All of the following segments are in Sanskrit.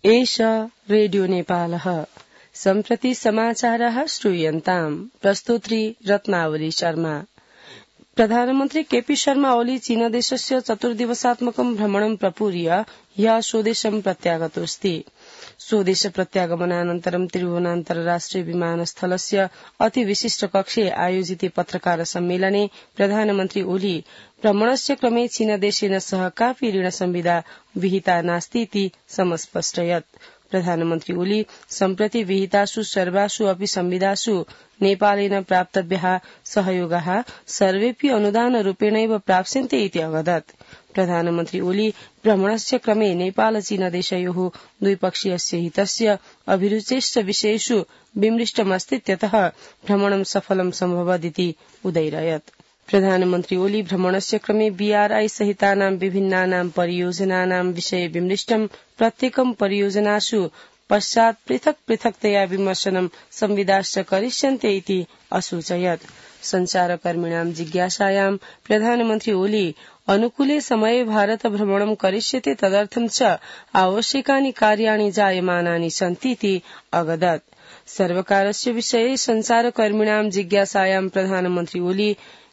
एष रेडियो नेपालः सम्प्रति समाचारः श्रूयन्ताम् प्रस्तोत्री रत्नावली शर्मा। प्रधानमन्त्री केपी शर्मा ओली चीनदेशस्य 4 दिवसात्मकं भ्रमणं प्रपूर्य ह्यः स्वदेशं प्रत्यागतोऽस्ति। स्वदेश प्रत्यागमनानन्तरं त्रिभुवनान्तर्राष्ट्रिय विमानस्थलस्य अतिविशिष्ट कक्षे आयोजिते पत्रकार सम्मेलने प्रधानमन्त्री ओली भ्रमणस्य क्रमे चीनदेशेन सह कापि ऋण संविदा विहिता नास्तीति समस्पष्टयत्। प्रधानमन्त्री ओली सम्प्रति विहितासु सर्वासु अपि संविदासु नेपालेन प्राप्तव्यः सहयोगः सर्वेऽपि अनुदानरूपेणैव प्राप्स्यन्ते इति अवदत्। प्रधानमन्त्री ओली भ्रमणस्य क्रमे नेपाल चीनदेशयोः द्विपक्षीयस्य हितस्य अभिरुचेश्च विषयेषु विमृष्टमस्तीत्यतः भ्रमणं सफलं सम्भवदिति उदैरयत्। प्रधानमन्त्री ओली भ्रमणस्य क्रमे बीआरआई सहितानां विभिन्नानां परियोजनानां विषये विमृष्टं प्रत्येकं परियोजनासु पश्चात् पृथक् पृथक्तया विमर्शनं संविदाश्च करिष्यन्ते इति असूचयत्। संचारकर्मिणां जिज्ञासायां प्रधानमन्त्री ओली अनुकूले समये भारत भ्रमणं करिष्यते तदर्थं च आवश्यकानि कार्याणि जायमानानि सन्तीति अवदत्। सर्वकारस्य विषये संचारकर्मिणां जिज्ञासायां प्रधानमन्त्री ओली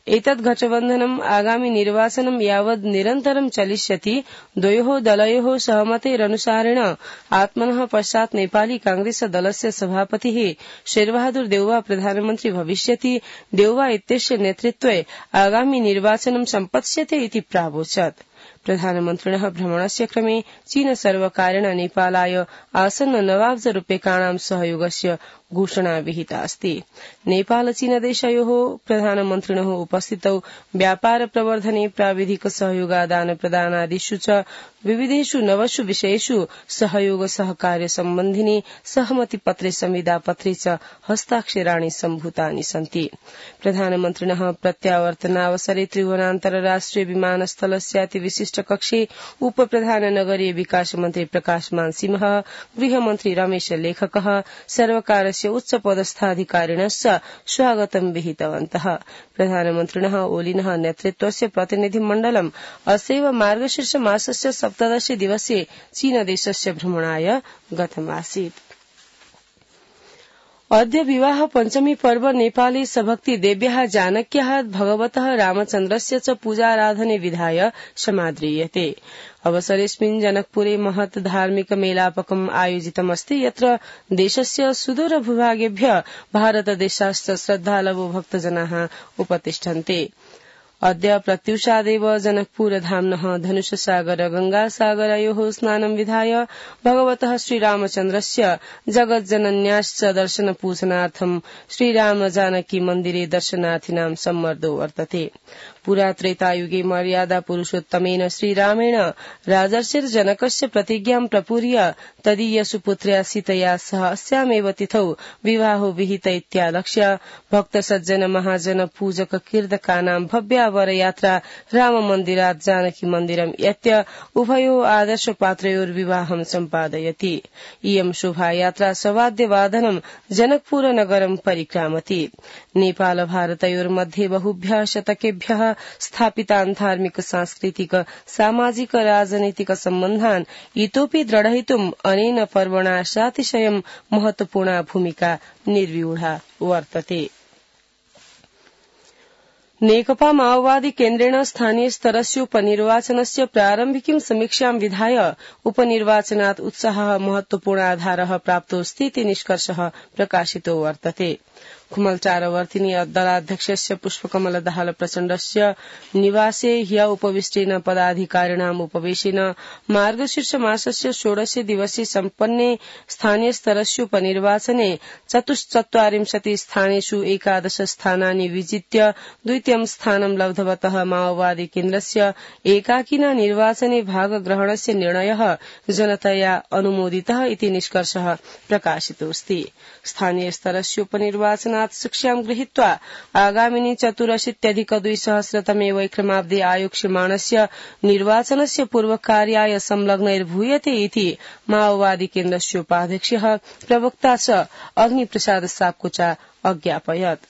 एतद् गठबन्धनम् आगामि निर्वाचनं यावद् निरन्तरं चलिष्यति। द्वयोः दलयोः सहमतेरनुसारेण आत्मनः पश्चात् नेपाली कांग्रेस दलस्य सभापतिः शेरबहादुर देउवा प्रधानमन्त्री भविष्यति। देउवा इत्यस्य नेतृत्वे आगामि निर्वाचनं सम्पत्स्यते इति प्रावोचत्। प्रधानमन्त्रिणः भ्रमणस्य क्रमे चीन सर्वकारेण नेपालाय आसन्न नवाब्जरूप्यकाणां सहयोगस्य घोषणा विहिता अस्ति। नेपाल चीनदेशयोः प्रधानमन्त्रिणः उपस्थितौ व्यापार प्रवर्धने प्राविधिक सहयोगादान प्रदानादिषु च विविधेषु नवसु विषयेषु सहयोग सहकार्य सम्बन्धिनि सहमतिपत्रे संविदापत्रे च हस्ताक्षराणि सम्भूतानि सन्ति। प्रधानमन्त्रिणः प्रत्यावर्तनावसरे त्रिभुवनान्तर्राष्ट्रिय विमानस्थलस्याति विशिष्ट कक्षे उप प्रधान नगरीय विकास मन्त्री प्रकाशमान सिंह, गृहमन्त्री रमेश लेखकः, सर्वकारस्य उच्च पदस्थाधिकारिणश्च स्वागतं विहितवन्तः। प्रधानमन्त्रिणः ओलिनः नेतृत्वस्य प्रतिनिधिमण्डलम् अस्यैव मार्गशीर्ष मासस्य 17 दिवसे चीनदेशस्य भ्रमणाय गतमासीत्। अद्य विवाह पञ्चमी पर्व नेपाले सभक्ति देव्याः जानक्याः भगवतः रामचन्द्रस्य च पूजाराधने विधाय समाद्रियते। अवसरेऽस्मिन् जनकपुरे महत् धार्मिक मेलापकम् आयोजितमस्ति, यत्र देशस्य सुदूर भूभागेभ्य भारतदेशाश्च श्रद्धालवो भक्तजनाः उपतिष्ठन्ते। अद्य प्रत्युषादेव जनकपुरधाम्नः धनुषसागर गंगासागरयोः स्नानं विधाय भगवतः श्रीरामचन्द्रस्य जगज्जनन्याश्च दर्शन पूजनार्थं श्रीराम जानकी मन्दिरे दर्शनार्थिनां सम्मर्दो वर्तते। पुरा त्रेतायुगे मर्यादा पुरुषोत्तमेन श्रीरामेण राजर्षिर्जनकस्य प्रतिज्ञां प्रपूर्य तदीय सुपुत्र्या सीतया सह अस्यामेव तिथौ विवाहो विहित इत्यालक्ष्य भक्त सज्जन महाजन पूजक कीर्तकानां भव्या वरयात्रा राम मन्दिरात् जानकी मन्दिरं यत्य उभयोः आदर्श पात्रयोर्विवाहं सम्पादयति। इयं शोभायात्रा सवाद्यवादनं जनकपुर नगरं परिक्रामति। नेपाल भारतयोर्मध्ये बहुभ्यः शतकेभ्यः स्थापितान् धार्मिक सांस्कृतिक सामाजिक राजनैतिक सम्बन्धान् इतोपि दृढयितुम् अनेन पर्वणा सातिशयं महत्वपूर्णा भूमिका निर्व्यूढा वर्तते। नेकपा माओवादी केन्द्रेण स्थानीय स्तरस्य उपनिर्वाचनस्य प्रारम्भिकीं समीक्षां विधाय उपनिर्वाचनात् उत्साहः महत्वपूर्णाधारः प्राप्तोऽस्ति इति निष्कर्षः प्रकाशितो वर्तते। खुमलचारवर्तिनी दलाध्यक्षस्य पुष्पकमल दाहाल प्रचण्डस्य निवासे ह्य उपविष्टेन पदाधिकारिणाम् उपवेशेन मार्गशीर्ष मासस्य 16 दिवसे सम्पन्ने स्थानीय स्तरस्य उपनिर्वाचने 44 स्थानेषु 11 स्थानानि विजित्य द्वितीयं स्थानं लब्धवतः माओवादी केन्द्रस्य एकाकिना निर्वाचने भागग्रहणस्य निर्णयः जनतया अनुमोदितः इति निष्कर्षः प्रकाशितोऽस्ति। स्थानीय स्तरस्य उपनिर्वाचनात् शिक्षां गृहीत्वा आगामिनि 84,200 वैक्रमाब्दे आयोक्ष्यमाणस्य निर्वाचनस्य पूर्वकार्याय संलग्नैर्भूयते इति माओवादी केन्द्रस्य उपाध्यक्षः प्रवक्ता च अग्निप्रसाद सापकोचा अज्ञापयत्।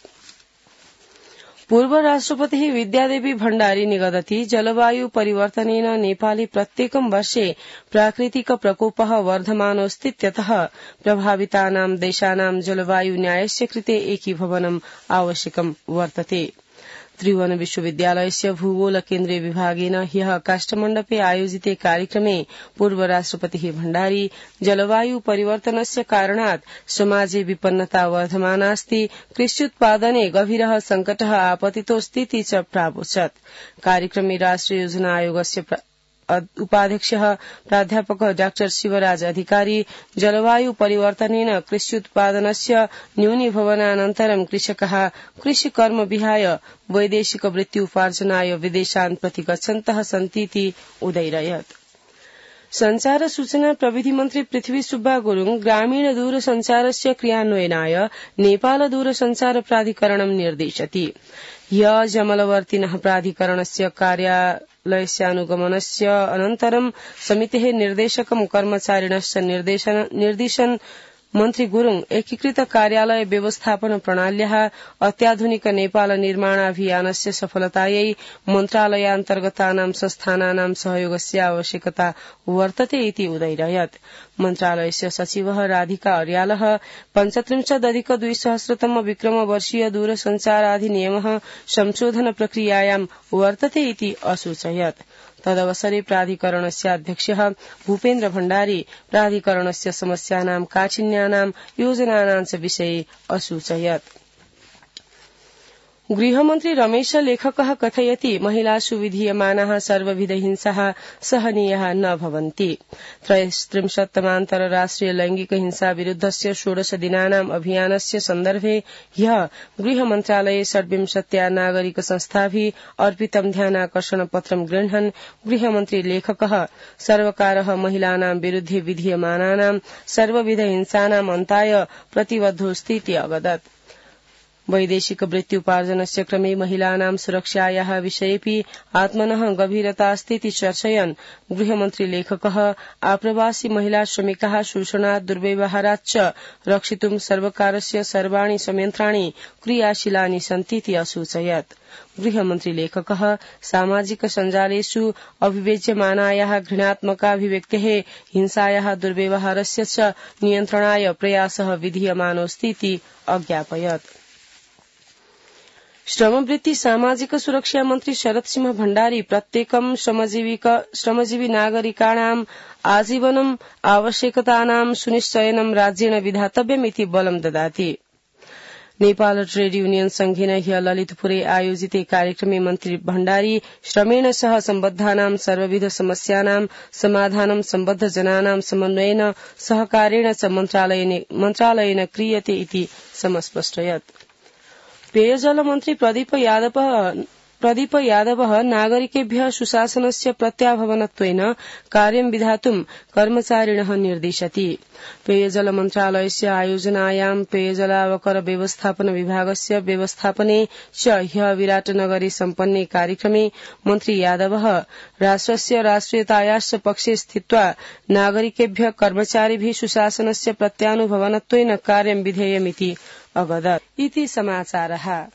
पूर्व राष्ट्रपतिः विद्यादेवी भण्डारी निगदति जलवायु परिवर्तनेन नेपाले प्रत्येकं वर्षे प्राकृतिक प्रकोपः वर्धमानोऽस्तीत्यतः प्रभावितानां देशानां जलवायु न्यायस्य कृते एकीभवनम् आवश्यकं वर्तते। त्रिभुवन विश्वविद्यालयस्य भूगोल केन्द्रीय विभागेन ह्यः काष्ठमण्डपे आयोजिते कार्यक्रमे पूर्व राष्ट्रपतिः भण्डारी जलवायु परिवर्तनस्य कारणात् समाजे विपन्नता वर्धमानास्ति, कृष्युत्पादने गभीरः संकटः आपतितोऽस्तीति च प्रावोचत्। कार्यक्रमे राष्ट्रिय योजना आयोगस्य उपाध्यक्षः प्राध्यापक डाक्टर शिवराज अधिकारी जलवायु परिवर्तनेन कृष्युत्पादनस्य न्यूनीभवनानन्तरं कृषकाः कृषिकर्म विहाय वैदेशिक वृत्त्युपार्जनाय विदेशान् प्रति गच्छन्तः सन्तीति उदैरयत्। संचार सूचना प्रविधि मन्त्री पृथ्वी सुब्बा गुरुङ ग्रामीण दूरसञ्चारस्य क्रियान्वयनाय नेपाल दूरसञ्चार प्राधिकरणं निर्दिशति। जमलवर्तिनः प्राधिकरणस्य कार्यालयस्यानुगमनस्य अनन्तरं समितेः निर्देशकं कर्मचारिणश्च निर्दिशन् मन्त्री गुरुङ एकीकृत कार्यालय व्यवस्थापन प्रणाल्याः अत्याधुनिक नेपाल निर्माणाभियानस्य सफलतायै मन्त्रालयान्तर्गतानां संस्थानानां सहयोगस्य आवश्यकता वर्तते इति उदैरयत्। मन्त्रालयस्य सचिवः राधिका अर्यालः 35+200 विक्रमवर्षीय दूरसञ्चाराधिनियमः संशोधन प्रक्रियायां वर्तते इति असूचयत्। तदवसरे प्राधिकरणस्य अध्यक्षः भूपेन्द्र भण्डारी प्राधिकरणस्य समस्यानां काठिन्यानां योजनानां च विषये असूचयत्। गृहमन्त्री रमेश लेखकः कथयति महिलासु विधीयमानाः सर्वविध हिंसाः सहनीयाः न भवन्ति। 33तमान्तरराष्ट्रिय लैंगिक हिंसा विरुद्धस्य 16 दिनानाम् अभियानस्य सन्दर्भे ह्यः गृहमन्त्रालये 26 नागरिक संस्थाभिः अर्पितं ध्यानाकर्षण पत्रं गृह्णन् गृहमन्त्री लेखकः सर्वकारः महिलानां विरुद्धे विधीयमानानां सर्वविध हिंसानाम् अन्ताय प्रतिबद्धोऽस्तीति अवदत्। वैदेशिक वृत्त्युपार्जनस्य क्रमे महिलानां सुरक्षायाः विषयेऽपि आत्मनः गभीरतास्तीति चर्चयन् गृहमन्त्री लेखकः आप्रवासी महिला श्रमिकाः शोषणात् दुर्व्यवहारात् च रक्षितुं सर्वकारस्य सर्वाणि संयन्त्राणि क्रियाशीलानि सन्तीति असूचयत्। गृहमन्त्री लेखकः सामाजिक सञ्जालेषु अभिव्यज्यमानायाः घृणात्मकाभिव्यक्तेः हिंसायाः दुर्व्यवहारस्य च नियन्त्रणाय प्रयासः विधीयमानोऽस्तीति अज्ञापयत्। श्रमवृत्ति सामाजिक सुरक्षा मन्त्री शरद सिंह भण्डारी प्रत्येकं श्रमजीवी नागरिकाणाम् आजीवनम् आवश्यकतानां सुनिश्चयनं राज्येन विधातव्यमिति बलं ददाति। नेपाल ट्रेड यूनियन संघेन ह्य ललितपुरे आयोजिते कार्यक्रमे मन्त्री भण्डारी श्रमेण सह सम्बद्धानां सर्वविध समस्यानां समाधानं सम्बद्ध जनानां समन्वयेन सहकारेण च मन्त्रालयेन क्रियते इति समस्पष्टयत्। पेयजल मन्त्री प्रदीप यादवः नागरिकेभ्यः सुशासनस्य प्रत्याभवनत्वेन कार्यं विधातुं कर्मचारिणः निर्दिशति। पेयजल मन्त्रालयस्य आयोजनायां पेयजलावकर व्यवस्थापन विभागस्य व्यवस्थापने च ह्यः विराटनगरे सम्पन्ने कार्यक्रमे मन्त्री यादवः राष्ट्रस्य राष्ट्रियतायाश्च पक्षे स्थित्वा नागरिकेभ्यः कर्मचारिभिः सुशासनस्य प्रत्यानुभवनत्वेन कार्यं विधेयमिति अवदत्। इति समाचारः।